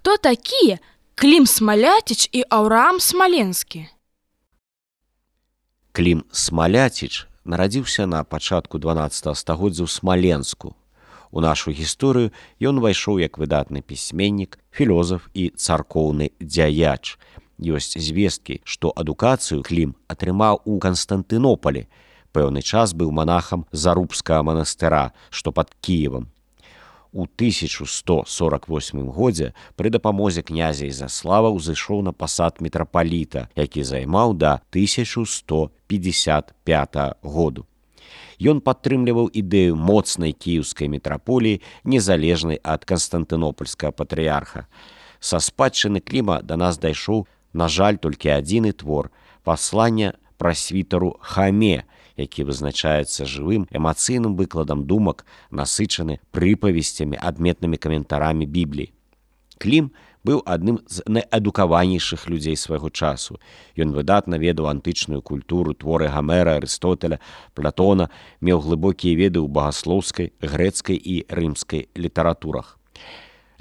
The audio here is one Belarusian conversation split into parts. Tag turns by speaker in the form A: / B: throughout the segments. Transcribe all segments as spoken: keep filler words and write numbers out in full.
A: Хто такія Клім Смаляціч і Аўраам Смаленскі?
B: Клім Смаляціч нарадзіўся на пачатку дванаццатага стагоддзя ў Смаленску. У нашу гісторыю ён увайшоў як выдатны пісьменнік, філозаф і царкоўны дзяяч. Ёсць звесткі, што адукацыю Клім атрымаў у Канстантынополі. Пэўны час быў манахам Зарубскага манастыра, што пад Кіевам. У тысяча сто сорак восьмым годзе пры дапамозе князя Ізяслава ўзышоў на пасад мітрапаліта, які займаў да тысяча сто пятьдесят пятага году. Ён падтрымліваў ідэю моцнай кіеўскай мітраполіі, незалежнай ад канстантынопольскага патрыярха. Са спадчыны Кліма да нас дайшоў, на жаль, толькі адзіны твор «Пасланне прасвітару Хаме», які вызначаецца жывым эмацыйным выкладам думак, насычаны прыпавесцямі, адметнымі каментарамі Бібліі. Клім быў адным з найадукаванейшых людзей свайго часу. Ён выдатна ведаў антычную культуру, творы Гамера, Арыстотеля, Платона, меў глыбокія веды ў багаслоўскай, грэцкай і рымскай літаратурах.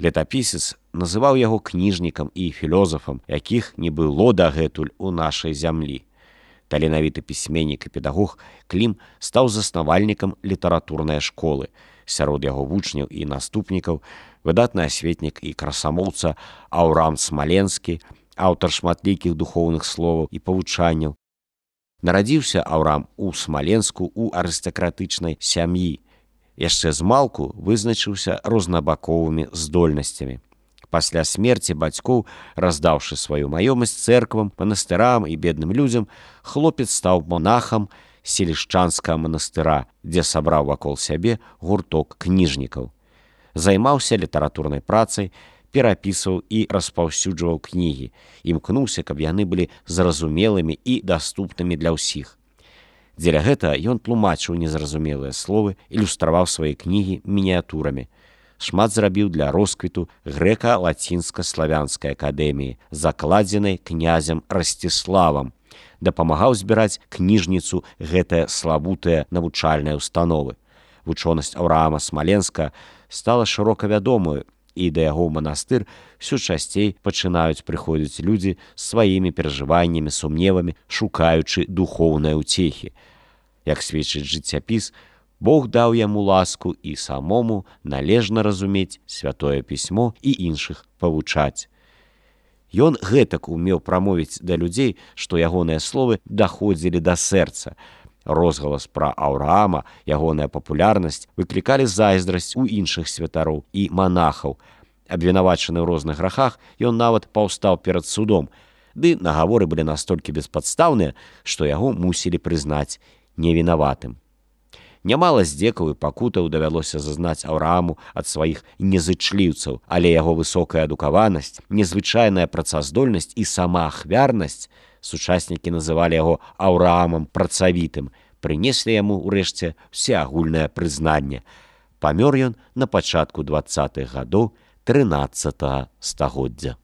B: Летапісец называў яго кніжнікам і філозафам, якіх не было дагэтуль у нашай зямлі. Таленавіты пісьменнік і педагог, Клім стаў заснавальнікам літаратурнай школы. Сярод яго вучняў і наступнікаў выдатны асветнік і красамоўца Аўраам Смаленскі, аўтар шматлікіх духоўных словаў і павучанняў. Нарадзіўся Аўраам у Смаленску ў арыстакратычнай сям'і. Яшчэ змалку вызначыўся рознабаковымі здольнасцямі. Пасля смерці бацькоў, раздаўшы сваю маёмасць цэрквам, манастырам і бедным людзям, хлопец стаў монахам Селішчанскага манастыра, дзе сабраў вакол сябе гурток кніжнікаў. Займаўся літаратурнай працай, перапісваў і распаўсюджваў кнігі. Імкнуўся, каб яны былі зразумелымі і даступнымі для ўсіх. Дзеля гэтага ён тлумачыў незразумелыя словы, ілюстраваў свае кнігі мініятурамі. Шмат зрабіў для росквіту грэка-лацінска-славянскай акадэміі, закладзенай князем Расціславам. Дапамагаў збіраць кніжніцу гэтая славутая навучальная ўстановы. Вучонасць Аўраама Смаленска стала шырока вядомаю, і да яго ў манастыр ўсё часцей пачынаюць прыходзіць людзі з сваімі перажываннямі, сумневамі, шукаючы духоўнай уцехі. Як сведчыць жыццяпіс, Бог даў яму ласку і самому належна разумець святое пісьмо і іншых павучаць. Ён гэтак умеў прамовіць да людзей, што ягоныя словы даходзілі да сэрца. Розгалас пра Аўраама, ягоная папулярнасць выклікалі зайздрасць у іншых святароў і манахаў. Абвінавачаны ў розных грахах, ён нават паўстаў перад судом, ды нагаворы былі настолькі беспадстаўныя, што яго мусілі прызнаць невінаватым. Нямала здзекаў і пакутаў давялося зазнаць Аўрааму ад сваіх незычліўцаў, але яго высокая адукаванасць, незвычайная працаздольнасць і сама ахвярнасць, сучаснікі называлі яго Аўраамам працавітым, прынеслі яму, урэшце, всеагульнае прызнанне. Памёр ён на пачатку дваццатых гадоў трынаццатага стагоддзя.